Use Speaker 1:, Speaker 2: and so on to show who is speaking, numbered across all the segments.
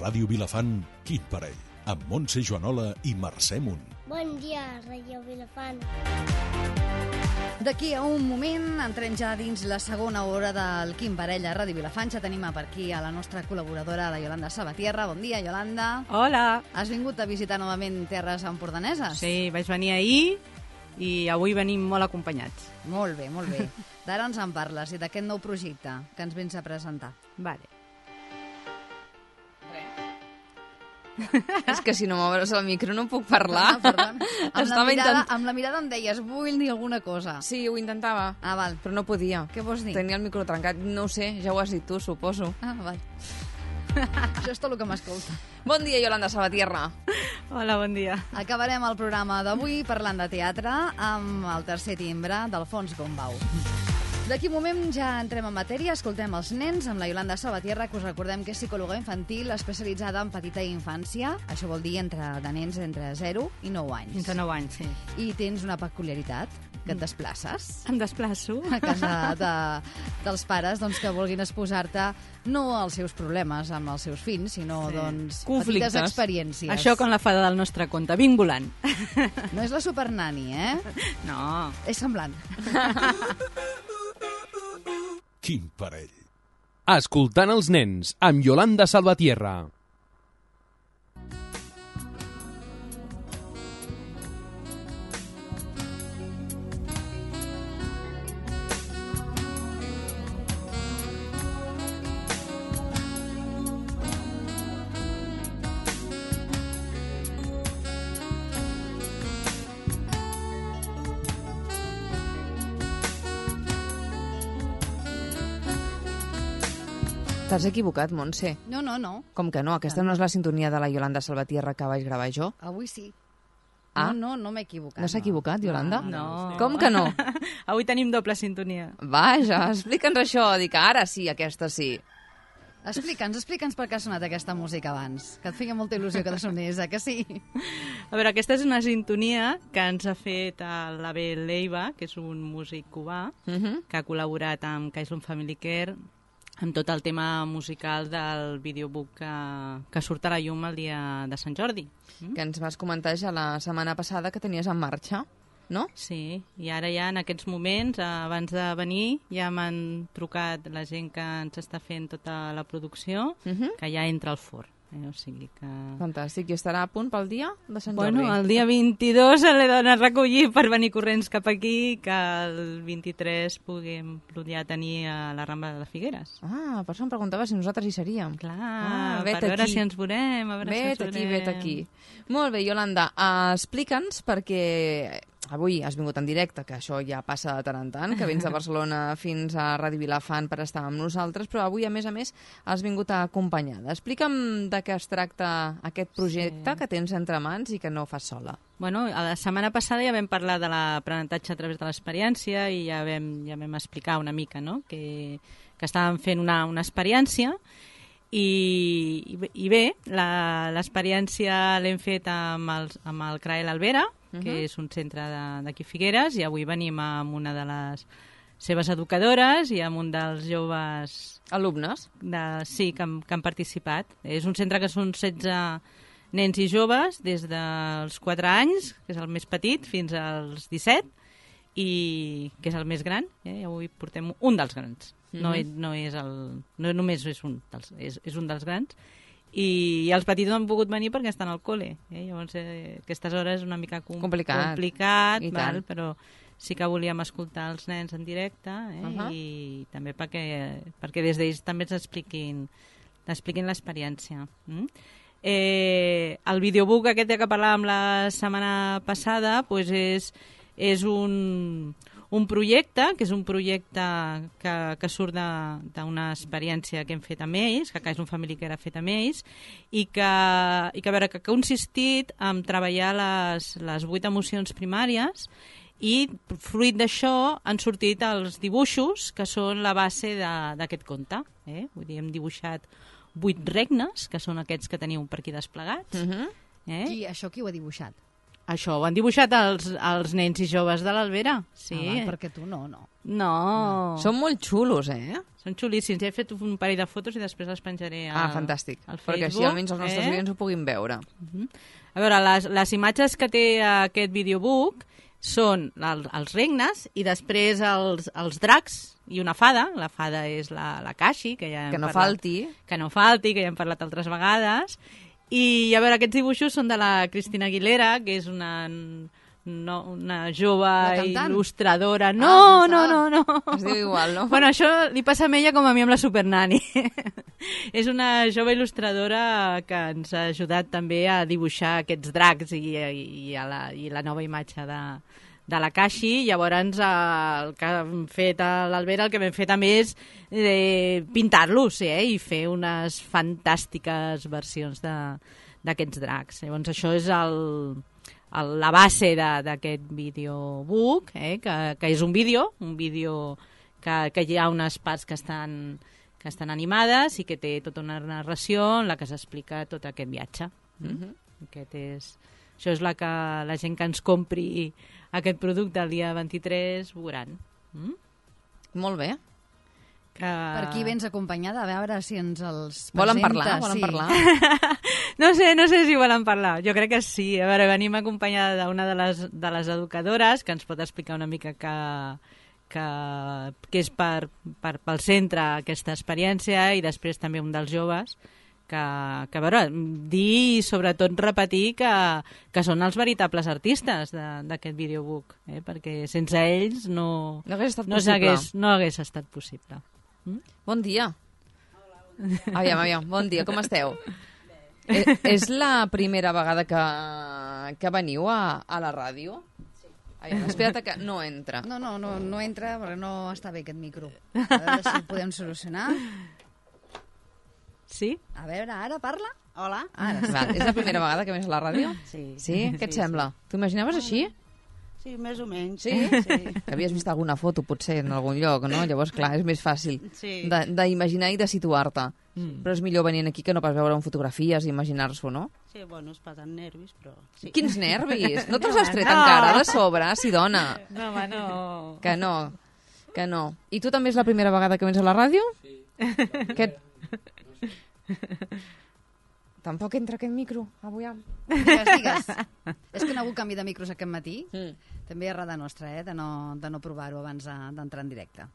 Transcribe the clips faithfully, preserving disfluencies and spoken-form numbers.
Speaker 1: Ràdio Vilafant, Quin Parell, amb Montse Joanola i Mercè Munt.
Speaker 2: Bon dia, Ràdio Vilafant.
Speaker 3: D'aquí a un moment entrem ja dins la segona hora del Quin Parell a Ràdio Vilafant. Ja tenim per aquí a la nostra col·laboradora, la Yolanda Salvatierra. Bon dia, Yolanda.
Speaker 4: Hola.
Speaker 3: Has vingut a visitar novament terres empordaneses?
Speaker 4: Sí, vaig venir ahir i avui venim molt acompanyats.
Speaker 3: Molt bé, molt bé. D'ara ens en parles i d'aquest nou projecte que ens vens a presentar.
Speaker 4: Vale.
Speaker 5: És que si no m'obres el micro no puc parlar.
Speaker 3: Ah, perdona. Amb, la
Speaker 5: Estava
Speaker 3: mirada,
Speaker 5: intent...
Speaker 3: amb la mirada em deies, vull dir alguna cosa.
Speaker 5: Sí, ho intentava,
Speaker 3: Ah, val.
Speaker 5: però no podia.
Speaker 3: Què vols dir?
Speaker 5: Tenia el micro trencat. No ho sé, ja ho has dit tu, suposo.
Speaker 3: Ah, val. Això és tot el que m'escolta.
Speaker 5: Bon dia, Yolanda Salvatierra.
Speaker 4: Hola, bon dia.
Speaker 3: Acabarem el programa d'avui parlant de teatre amb el tercer timbre d'Alfons Gombau. D'aquí un moment ja entrem en matèria, escoltem els nens amb la Yolanda Salvatierra, que us recordem que és psicòloga infantil especialitzada en petita infància, això vol dir entre de nens entre zero i nou anys.
Speaker 4: Fins a nou anys, sí.
Speaker 3: I tens una peculiaritat, que et desplaces
Speaker 4: Em desplaço.
Speaker 3: a casa de, dels pares doncs, que vulguin exposar-te no als seus problemes amb els seus fills, sinó
Speaker 4: Sí.
Speaker 3: doncs,
Speaker 5: Conflictes.
Speaker 3: petites experiències.
Speaker 4: Això com la fada del nostre conte, vinc volant.
Speaker 3: No és la supernani, eh?
Speaker 4: No.
Speaker 3: És semblant.
Speaker 1: Quin Parell.
Speaker 6: Escoltant els nens, amb Yolanda Salvatierra.
Speaker 5: T'has equivocat, Montse.
Speaker 3: No, no, no.
Speaker 5: Com que no? Aquesta no és la sintonia de la Yolanda Salvatierra que vaig gravar jo.
Speaker 3: Avui sí.
Speaker 5: Ah.
Speaker 3: No, no, no m'he equivocat.
Speaker 5: No s'ha equivocat, Yolanda?
Speaker 4: No.
Speaker 5: Com que no?
Speaker 4: Avui tenim doble sintonia.
Speaker 5: Vaja, explica'ns això. Dic, ara sí, aquesta sí.
Speaker 3: Explica'ns, explica'ns per què ha sonat aquesta música abans, que et feia molta il·lusió que sonés, eh, que sí?
Speaker 4: A veure, aquesta és una sintonia que ens ha fet l'Abel Leiva, que és un músic cubà,
Speaker 5: Uh -huh.
Speaker 4: que ha col·laborat amb Kaislon Family Care amb tot el tema musical del videobook que, que surt a la llum el dia de Sant Jordi. Mm?
Speaker 5: Que ens vas comentar ja la setmana passada que tenies en marxa, no?
Speaker 4: Sí, i ara ja en aquests moments, abans de venir, ja m'han trucat la gent que ens està fent tota la producció,
Speaker 5: Uh -huh.
Speaker 4: que ja entra al forn. Eh? O sigui que...
Speaker 5: Fantàstic. I estarà a punt pel dia de Sant
Speaker 4: Bueno,
Speaker 5: Jordi?
Speaker 4: el dia vint-i-dos l'he d'anar a recollir per venir corrents cap aquí, que el vint-i-tres puguem ja tenir a la Rambla de Figueres.
Speaker 5: Ah, per això em preguntava si nosaltres hi seríem.
Speaker 4: Clar,
Speaker 5: Ah, vet
Speaker 4: per veure
Speaker 5: aquí.
Speaker 4: si ens veurem, a veure si ens
Speaker 5: Vet aquí,
Speaker 4: veurem.
Speaker 5: vet aquí. Molt bé, Yolanda, uh, explica'ns, perquè avui has vingut en directe, que això ja passa de tant en tant, que vens de Barcelona fins a Ràdio Vilafant per estar amb nosaltres, però avui, a més a més, has vingut acompanyada. Explica'm de què es tracta aquest projecte
Speaker 4: Sí.
Speaker 5: que tens entre mans i que no fas sola.
Speaker 4: Bueno, la setmana passada ja vam parlar de l'aprenentatge a través de l'experiència i ja vam, ja vam explicar una mica, no?, que, que estàvem fent una, una experiència i, i bé, la- l'experiència l'hem fet amb el, amb el CRAEL Albera, que
Speaker 5: Mhm.
Speaker 4: és un centre de- d'aquí Figueres, i avui venim amb una de les seves educadores i amb un dels joves
Speaker 5: Alumnes?
Speaker 4: de, sí, que han, que han participat. És un centre que són setze nens i joves des dels quatre anys, que és el més petit, fins als disset, i que és el més gran. Eh? I avui portem un dels grans. No,
Speaker 5: Mhm.
Speaker 4: és, no, és el, no només és un dels, és, és un dels grans. I, i els petits no han pogut venir perquè estan al col·le. Eh? Llavors, eh, aquestes hores és una mica com,
Speaker 5: Complicat.
Speaker 4: complicat
Speaker 5: I
Speaker 4: val?
Speaker 5: tant.
Speaker 4: Però sí que volíem escoltar els nens en directe, eh?
Speaker 5: Uh-huh.
Speaker 4: I també perquè, perquè des d'ells també ens expliquin, expliquin l'experiència. Mm? Eh, el videobook aquest que parlàvem la setmana passada pues és, és un, un projecte, que és un projecte que, que surt d'una experiència que hem fet amb ells, que és un family que era fet amb ells, i que, i que, a veure, que ha consistit en treballar les, les vuit emocions primàries, i fruit d'això han sortit els dibuixos que són la base d'aquest conte. Eh? Vull dir, hem dibuixat vuit regnes, que són aquests que teniu per aquí desplegats.
Speaker 5: Uh -huh.
Speaker 4: Eh?
Speaker 3: Qui, això qui ho ha dibuixat?
Speaker 4: Això ho han dibuixat els, els nens i joves de l'Albera. Sí.
Speaker 3: Ah, va, perquè tu no, no.
Speaker 4: No. no.
Speaker 5: Són molt xulos, eh?
Speaker 4: Són xulíssims. Ja he fet un parell de fotos i després les penjaré al,
Speaker 5: Ah, fantàstic.
Speaker 4: al Facebook.
Speaker 5: Perquè així almenys els nostres
Speaker 4: eh?
Speaker 5: oients ho puguin veure.
Speaker 4: Uh-huh. A veure, les, les imatges que té aquest videobook són el, els regnes i després els, els dracs i una fada. La fada és la, la Kashi, que ja hem
Speaker 5: Que no
Speaker 4: parlat,
Speaker 5: falti.
Speaker 4: Que no falti, que ja hem parlat altres vegades. I, a veure, aquests dibuixos són de la Cristina Aguilera, que és una, no, una jove il·lustradora. No,
Speaker 3: Ah,
Speaker 4: no, no, no.
Speaker 5: Es diu igual, no?
Speaker 4: Bueno, això li passa a ella com a mi amb la Supernani. És una jove il·lustradora que ens ha ajudat també a dibuixar aquests dracs i, i, i, a la, i la nova imatge de, de la Kashi. Llavors, el que hem fet a l'Albera, el que vam fer també és eh, pintar-los eh, i fer unes fantàstiques versions d'aquests dracs. Llavors, això és el, el, la base d'aquest videobook, eh, que, que és un vídeo, un vídeo que, que hi ha unes parts que estan, que estan animades i que té tota una narració en la que s'explica tot aquest viatge. Mm-hmm. Aquest és, això és la que la gent que ens compri aquest producte el dia vint-i-tres veuran. Mm?
Speaker 5: Molt bé.
Speaker 4: Que...
Speaker 3: Per aquí vens acompanyada, a veure si ens els presenta.
Speaker 5: Volen parlar? Volen
Speaker 3: sí.
Speaker 5: parlar?
Speaker 4: No sé, no sé si volen parlar. Jo crec que sí. A veure, venim acompanyada d'una de les, de les educadores que ens pot explicar una mica que, que, que és per, per, pel centre aquesta experiència i després també un dels joves que, que a veure, dir i sobretot repetir que, que són els veritables artistes d'aquest videobook, eh? Perquè sense ells no,
Speaker 5: No hagués estat
Speaker 4: no,
Speaker 5: possible.
Speaker 4: hagués, no hagués estat possible. Mm?
Speaker 5: Bon dia. Aviam, aviam, bon dia, com esteu? Eh, és la primera vegada que, que veniu a, a la ràdio? Aviam, espera't que no entra.
Speaker 3: No, no, no, no entra perquè no està bé aquest micro. A veure si ho podem solucionar.
Speaker 4: Sí?
Speaker 3: A veure, ara parla?
Speaker 7: Hola.
Speaker 3: Ara sí.
Speaker 5: Val, és la primera vegada que vens a la ràdio?
Speaker 7: Sí.
Speaker 5: Sí? Què et sembla? T'ho imaginaves així?
Speaker 7: Sí, més o menys.
Speaker 5: Sí?
Speaker 7: Sí.
Speaker 5: Havies vist alguna foto, potser, en algun lloc, no? Llavors, clar, és més fàcil
Speaker 7: Sí.
Speaker 5: de- d'imaginar i de situar-te.
Speaker 4: Mm.
Speaker 5: Però és millor venir aquí que no pas veure en fotografies i imaginar-s'ho, no?
Speaker 7: Sí, bueno, es passen nervis, però... Sí.
Speaker 5: Quins nervis! No te'ls has tret
Speaker 4: No.
Speaker 5: encara de sobre, sí, dona?
Speaker 4: No, home, no.
Speaker 5: Que no, que no. I tu també és la primera vegada que vens a la ràdio? Sí. Que... Tampoc entra aquest micro, avui.
Speaker 3: Digues, digues. És que no ha hagut canvi de micros aquest matí.
Speaker 5: Mm.
Speaker 3: També és errada nostra, eh, de no, de no provar-ho abans de- d'entrar en directe.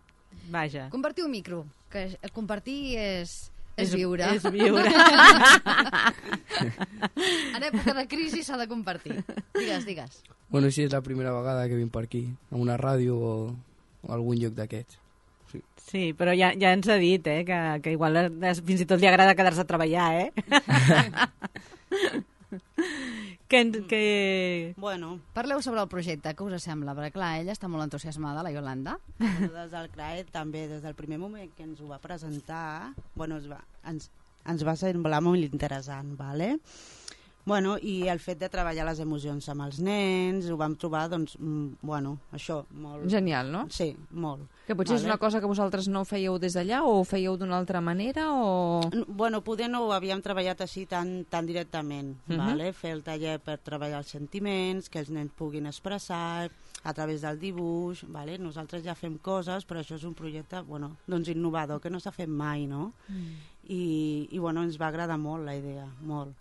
Speaker 4: Vaja.
Speaker 3: Compartir un micro, que compartir és, és viure.
Speaker 4: És viure.
Speaker 3: En època de crisi s'ha de compartir. Digues, digues.
Speaker 8: Bueno, sí, és la primera vegada que vinc per aquí, a una ràdio o, o algun lloc d'aquests.
Speaker 4: Sí, però ja, ja ens ha dit, eh, que, que igual es- fins i tot li agrada quedar-se a treballar, eh? que, ens- que...
Speaker 7: Bueno,
Speaker 3: Parleu sobre el projecte, què us sembla? Perquè, clar, ella està molt entusiasmada, la Yolanda.
Speaker 7: bueno, des del C R A E també, des del primer moment que ens ho va presentar, bueno, es va, ens, ens va semblar molt interessant, ¿vale? Bueno, i el fet de treballar les emocions amb els nens, ho vam trobar, doncs, mm, bueno, això, molt...
Speaker 5: Genial, no?
Speaker 7: Sí, molt.
Speaker 5: Que potser és
Speaker 7: Vale.
Speaker 5: una cosa que vosaltres no fèieu des d'allà o ho fèieu d'una altra manera o...
Speaker 7: N- Bueno, poder no ho havíem treballat així tan, tan directament,
Speaker 5: Mhm.
Speaker 7: vale? Fer el taller per treballar els sentiments, que els nens puguin expressar a través del dibuix, vale? Nosaltres ja fem coses, però això és un projecte, bueno, doncs innovador, que no s'ha fet mai, no? Mm. I, I, bueno, ens va agradar molt la idea, molt.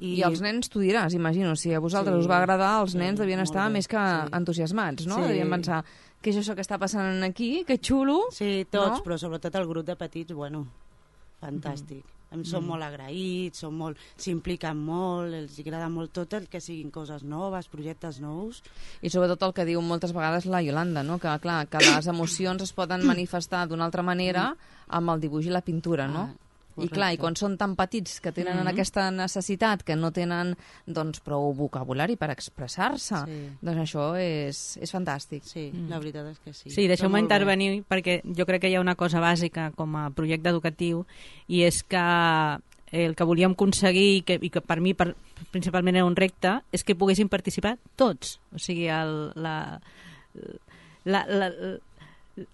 Speaker 5: I els nens, tu diràs, imagino, si a vosaltres
Speaker 7: Sí,
Speaker 5: us va agradar, els
Speaker 7: sí,
Speaker 5: nens devien
Speaker 7: molt
Speaker 5: estar
Speaker 7: bé,
Speaker 5: més que
Speaker 7: sí.
Speaker 5: entusiasmats, no?
Speaker 7: Sí.
Speaker 5: Devien pensar, què és això que està passant aquí? Que xulo!
Speaker 7: Sí, tots,
Speaker 5: No?
Speaker 7: però sobretot el grup de petits, bueno, fantàstic. Mm. Em són mm. molt agraïts, són molt, s'impliquen molt, els agrada molt tot el que siguin coses noves, projectes nous.
Speaker 5: I sobretot el que diu moltes vegades la Yolanda, no? Que, clar, que les emocions es poden manifestar d'una altra manera amb el dibuix i la pintura, no?
Speaker 7: Ah,
Speaker 5: I clar, i quan són tan petits que tenen
Speaker 7: Mhm.
Speaker 5: aquesta necessitat, que no tenen doncs, prou vocabulari per expressar-se,
Speaker 7: Sí.
Speaker 5: doncs això és, és fantàstic.
Speaker 7: Sí, mm. la veritat és que sí.
Speaker 4: Sí,
Speaker 7: Però
Speaker 4: deixeu-me
Speaker 7: molt bé.
Speaker 4: intervenir perquè jo crec que hi ha una cosa bàsica com a projecte educatiu i és que el que volíem aconseguir i que, i que per mi per, principalment era un repte és que poguessin participar tots. O sigui, el, la, la, la,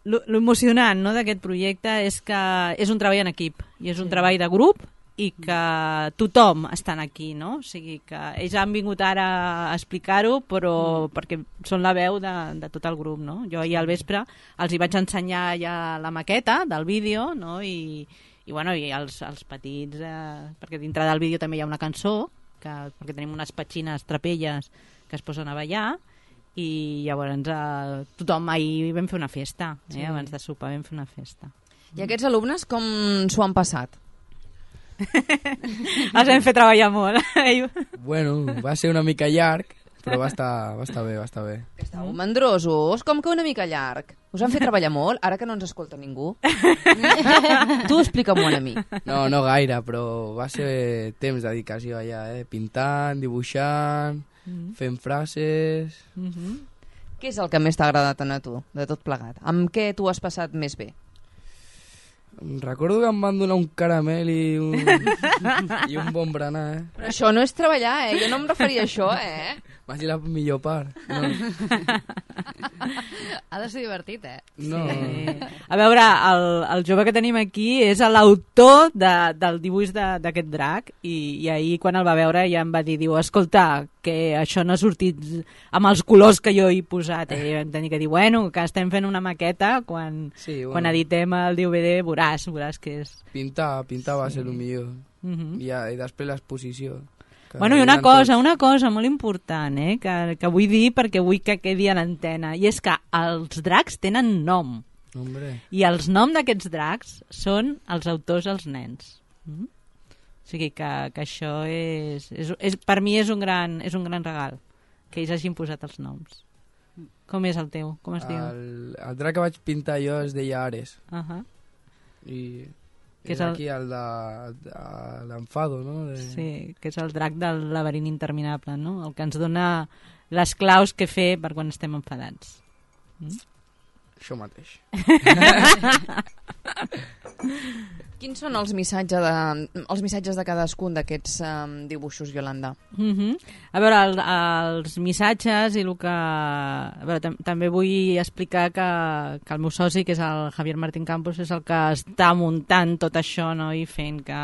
Speaker 4: lo, lo emocionant, no, d'aquest projecte és que és un treball en equip i és un treball de grup i que tothom estan aquí, no? O sigui que ells han vingut ara a explicar-ho, però mm. perquè són la veu de, de tot el grup, no? Jo ahir al vespre els hi vaig ensenyar ja la maqueta del vídeo, no? I, i, bueno, i els, els petits, eh, perquè dintre del vídeo també hi ha una cançó, que, perquè tenim unes petxines trapelles que es posen a ballar, i llavors eh, tothom ahir vam fer una festa, eh? Sí. Abans de sopar vam fer una festa.
Speaker 5: I aquests alumnes com s'ho han passat?
Speaker 4: Els hem fet treballar molt.
Speaker 8: Bueno, va ser una mica llarg, però va estar, va estar bé, va estar bé.
Speaker 5: Estàveu mandrosos, com que una mica llarg? Us han fet treballar molt, ara que no ens escolta ningú? Tu explica'm-ho a mi.
Speaker 8: No, no gaire, però va ser temps de dedicació allà, eh? Pintant, dibuixant, mm-hmm. fent frases...
Speaker 5: Mm-hmm. Què és el que més t'ha agradat a tu, de tot plegat? Amb què tu has passat més bé?
Speaker 8: Recordo que em van donar un caramel i un, i un bon berenar, eh?
Speaker 5: Però això no és treballar, eh? Jo no em referia a això, eh?
Speaker 8: Va ser la millor part. No.
Speaker 3: Ha de ser divertit, eh?
Speaker 8: No.
Speaker 4: Sí. A veure, el, el jove que tenim aquí és l'autor de, del dibuix d'aquest drac i, i ahir quan el va veure ja em va dir, diu, escolta, que això no ha sortit amb els colors que jo he posat. Eh? I vam tenir que dir, bueno, que estem fent una maqueta, quan, sí, bueno. quan editem el D V D veuràs, veuràs que és...
Speaker 8: Pintar, pintar va sí. ser el millor.
Speaker 4: Uh-huh.
Speaker 8: I, I després l'exposició.
Speaker 4: Bueno, i una cosa, tots. una cosa molt important, eh, que, que vull dir perquè vull que quedi a l'antena, i és que els dracs tenen nom.
Speaker 8: Hombre.
Speaker 4: I els noms d'aquests dracs són els autors els nens. Mm? O sigui que, que això és, és, és... Per mi és un, gran, és un gran regal, que ells hagin posat els noms. Com és el teu? Com es diu?
Speaker 8: El, el drac que vaig pintar jo es deia Ares.
Speaker 4: Uh-huh.
Speaker 8: I...
Speaker 4: Que
Speaker 8: és, és aquí el de, de l'enfado, no? De...
Speaker 4: Sí, que és el drac del laberint interminable, no? El que ens dona les claus que fer per quan estem enfadats. Mm?
Speaker 8: Això mateix.
Speaker 5: Quins són els missatges de, els missatges de cadascun d'aquests um, dibuixos, Iolanda?
Speaker 4: Mm-hmm. A veure, el, els missatges i el que... A veure, tam també vull explicar que, que el meu soci, que és el Javier Martín Campos, és el que està muntant tot això, no? I fent que,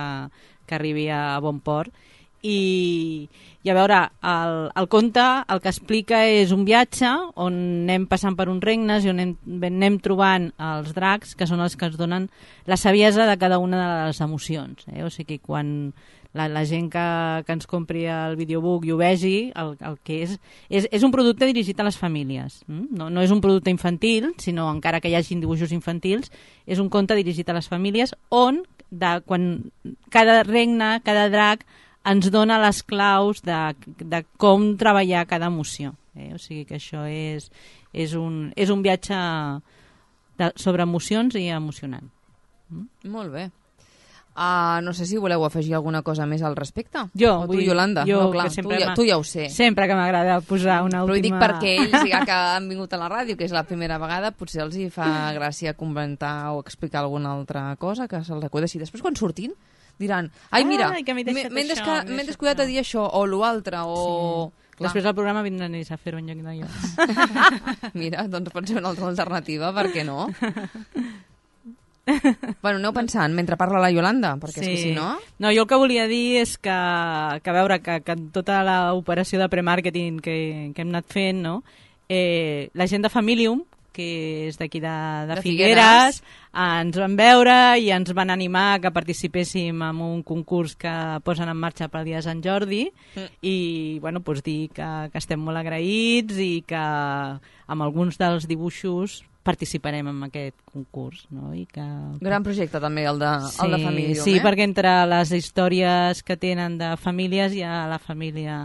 Speaker 4: que arribi a bon port. I, i a veure, el, el conte el que explica és un viatge on anem passant per uns regnes i on anem, anem trobant els dracs, que són els que ens donen la saviesa de cada una de les emocions, eh? O sigui, quan la, la gent que, que ens compri el videobook i ho vegi, el, el que és, és és un producte dirigit a les famílies, mm? no, no és un producte infantil, sinó encara que hi hagin dibuixos infantils, és un conte dirigit a les famílies on de, quan cada regne, cada drac ens dona les claus de, de com treballar cada emoció. Eh? O sigui que això és, és, un, és un viatge de, sobre emocions i emocionant.
Speaker 5: Mm? Molt bé. Uh, no sé si voleu afegir alguna cosa més al respecte.
Speaker 4: Jo,
Speaker 5: o tu,
Speaker 4: vull,
Speaker 5: Iolanda.
Speaker 4: Jo,
Speaker 5: no, clar, tu, ja, tu ja ho sé.
Speaker 4: Sempre que m'agrada posar una
Speaker 5: última... Però ho dic
Speaker 4: última...
Speaker 5: perquè ells, ja que han vingut a la ràdio, que és la primera vegada, potser els hi fa gràcia comentar o explicar alguna altra cosa que se'ls acudeixi. Després, quan surtin, diran, ai, mira, m'he desca... descuidat a dir això, o l'altre, o...
Speaker 4: Sí. Després del programa vindran ells a fer-ho en lloc de jo.
Speaker 5: Mira, doncs pot ser una altra alternativa, per què no? Bueno, aneu pensant, mentre parla la Iolanda, perquè sí. És que si no...
Speaker 4: No, jo el que volia dir és que, que a veure, que, que en tota l'operació de premàrqueting que, que hem anat fent, no? eh, la gent de Familium, que és d'aquí de, de, de Figueres, Figueres, ens van veure i ens van animar que participéssim en un concurs que posen en marxa pel dia de Sant Jordi mm. i bueno, doncs dir que, que estem molt agraïts i que amb alguns dels dibuixos participarem en aquest concurs. No? I que...
Speaker 5: Gran projecte també el de,
Speaker 4: sí,
Speaker 5: el de Familium.
Speaker 4: Sí,
Speaker 5: eh?
Speaker 4: perquè entre les històries que tenen de famílies hi ha la família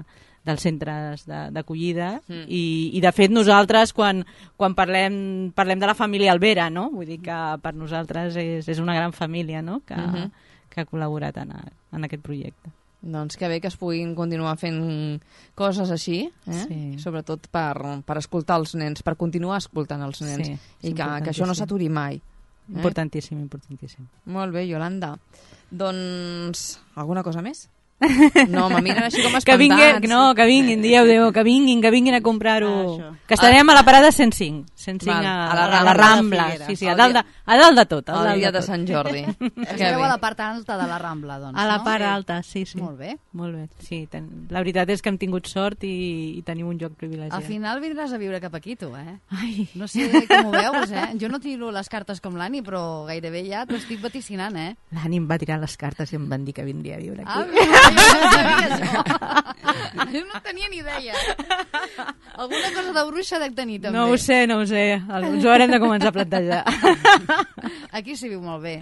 Speaker 4: dels centres d'acollida mm. i, i de fet nosaltres quan, quan parlem, parlem de la família Alvera, no? Vull dir que per nosaltres és, és una gran família, no? que, mm -hmm. que ha col·laborat en, a, en aquest projecte.
Speaker 5: Doncs que bé que es puguin continuar fent coses així, eh?
Speaker 4: Sí.
Speaker 5: Sobretot per, per escoltar els nens, per continuar escoltant els nens
Speaker 4: sí,
Speaker 5: i que, que això no s'aturi mai. Eh?
Speaker 4: Importantíssim, importantíssim.
Speaker 5: Molt bé, Iolanda. Doncs alguna cosa més? No, me miren així com
Speaker 4: que vinguin,
Speaker 5: espantats.
Speaker 4: no, que vinguin, dieu, Déu, que vinguin, que vinguin a comprar-ho.
Speaker 7: Ah,
Speaker 4: que estarem a la parada cent cinc. cent cinc
Speaker 5: Val,
Speaker 4: a,
Speaker 5: a la
Speaker 4: a la
Speaker 5: Rambla.
Speaker 4: Rambla.
Speaker 7: A la
Speaker 4: Sí, sí,
Speaker 5: El
Speaker 4: a dalt, de,
Speaker 5: dia-
Speaker 4: a dalt de tot. A
Speaker 5: El
Speaker 4: dalt
Speaker 5: dia de
Speaker 4: tot.
Speaker 5: Sant Jordi. Que
Speaker 3: Esteu
Speaker 5: bé.
Speaker 3: a la part alta de la Rambla, doncs,
Speaker 4: A la
Speaker 3: no?
Speaker 4: part alta, sí, sí.
Speaker 3: Molt bé.
Speaker 4: Molt bé, sí. Ten... La veritat és que hem tingut sort i, i tenim un lloc privilegiat.
Speaker 3: Al final vindràs a viure cap aquí, tu, eh?
Speaker 4: Ai.
Speaker 3: No sé com ho veus, eh? Jo no tiro les cartes com l'Ani, però gairebé ja t'ho estic vaticinant, eh?
Speaker 4: L'Ànim va tirar les cartes i em van dir que vindria a viure
Speaker 3: Ah,
Speaker 4: aquí.
Speaker 3: mira, jo no sabia això. Jo no tenia ni idea. Alguna cosa de bruixa dec tenir, també.
Speaker 4: No ho sé, no ho sé. Ens ho haurem de començar a plantejar.
Speaker 3: Aquí s'hi viu molt bé.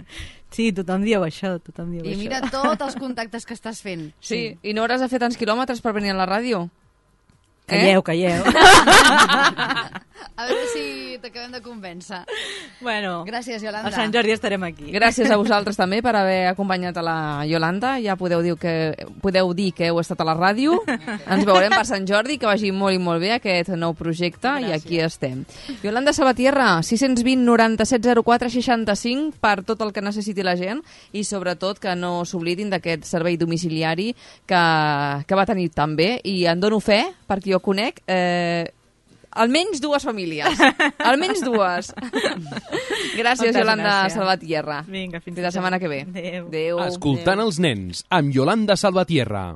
Speaker 4: Sí, tothom diu això, tothom diu
Speaker 3: I
Speaker 4: això.
Speaker 3: mira tots els contactes que estàs fent.
Speaker 5: Sí, i no hauràs de fer tants quilòmetres per venir a la ràdio?
Speaker 4: Calleu, calleu.
Speaker 3: A veure si t'acabem de convèncer.
Speaker 4: Bueno,
Speaker 3: Gràcies, Iolanda.
Speaker 4: a Sant Jordi estarem aquí.
Speaker 5: Gràcies a vosaltres també per haver acompanyat a la Iolanda. Ja podeu dir que, podeu dir que heu estat a la ràdio. Ens veurem per Sant Jordi, que vagi molt i molt bé aquest nou projecte. Gràcies. I aquí estem. Iolanda Salvatierra, sis cents vint noranta-set zero quatre seixanta-cinc per tot el que necessiti la gent i sobretot que no s'oblidin d'aquest servei domiciliari que, que va tenir tan bé. I en dono fe, perquè jo conec eh, almenys dues famílies. Almenys dues. Gràcies,
Speaker 4: Moltes
Speaker 5: Iolanda
Speaker 4: gràcies.
Speaker 5: Salvatierra.
Speaker 4: Vinga, fins
Speaker 5: Fins la setmana que ve.
Speaker 4: Adéu.
Speaker 5: Adéu.
Speaker 6: Escoltant els nens, amb Yolanda Salvatierra.